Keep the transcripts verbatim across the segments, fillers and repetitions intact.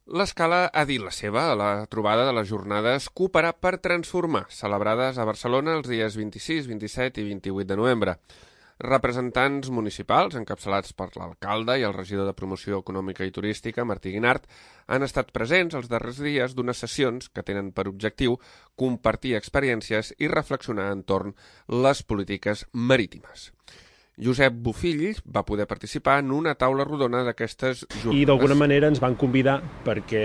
L'Escala ha dit la seva a la trobada de les jornades Cooperar per Transformar, celebrades a Barcelona els dies vint-i-sis, vint-i-set i vint-i-vuit de novembre. Representants municipals, encapçalats per l'alcalde i el regidor de Promoció Econòmica i Turística, Martí Guinart, han estat presents els darrers dies d'unes sessions que tenen per objectiu compartir experiències i reflexionar entorn les polítiques marítimes. Josep Bofill va poder participar en una taula rodona d'aquestes jornades. I d'alguna manera ens van convidar perquè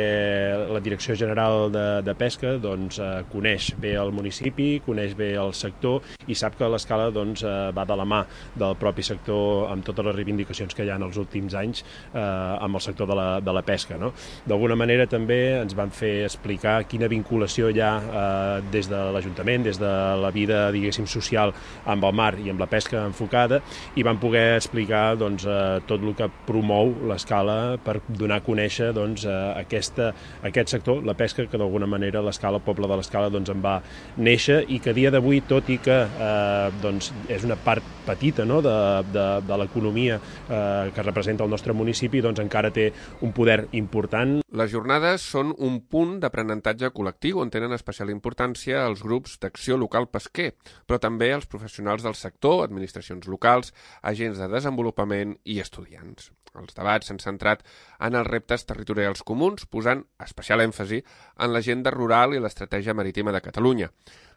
la Direcció General de, de Pesca doncs, eh, coneix bé el municipi, coneix bé el sector i sap que l'Escala doncs, eh, va de la mà del propi sector amb totes les reivindicacions que hi ha en els últims anys eh, amb el sector de la, de la pesca. No? D'alguna manera també ens van fer explicar quina vinculació hi ha eh, des de l'Ajuntament, des de la vida diguéssim social amb el mar i amb la pesca enfocada, i van poder explicar doncs, eh, tot el que promou l'Escala per donar a conèixer doncs, eh, aquesta, aquest sector, la pesca, que d'alguna manera l'Escala, el poble de l'Escala, doncs, en va néixer i que a dia d'avui, tot i que eh, doncs, és una part petita no? de, de, de l'economia eh, que representa el nostre municipi, doncs encara té un poder important. Les jornades són un punt d'aprenentatge col·lectiu on tenen especial importància els grups d'acció local pesquer, però també els professionals del sector, administracions locals, agents de desenvolupament i estudiants. Els debats s'han centrat en els reptes territorials comuns, posant especial èmfasi en l'agenda rural i l'estratègia marítima de Catalunya.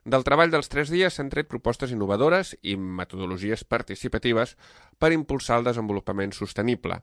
Del treball dels tres dies s'han tret propostes innovadores i metodologies participatives per impulsar el desenvolupament sostenible.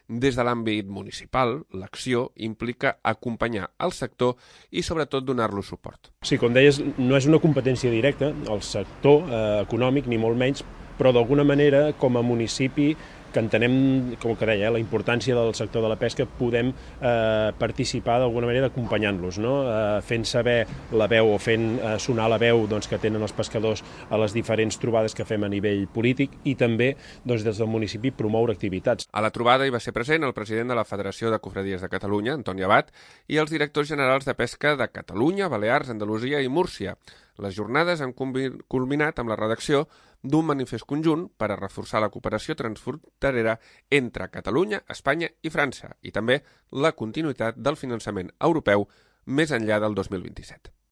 Des de l'àmbit municipal, l'acció implica acompanyar el sector i sobretot donar-lo suport. Sí, com deies, no és una competència directa, el sector eh, econòmic ni molt menys, però d'alguna manera, com a municipi, que entenem, com que deia, la importància del sector de la pesca, podem eh, participar d'alguna manera acompanyant-los, no? eh, fent saber la veu o fent eh, sonar la veu doncs, que tenen els pescadors a les diferents trobades que fem a nivell polític i també doncs, des del municipi promoure activitats. A la trobada hi va ser present el president de la Federació de Cofradies de Catalunya, Antoni Abat, i els directors generals de pesca de Catalunya, Balears, Andalusia i Múrcia. Les jornades han culminat amb la redacció d'un manifest conjunt per a reforçar la cooperació transfronterera entre Catalunya, Espanya i França i també la continuïtat del finançament europeu més enllà del dos mil vint-i-set.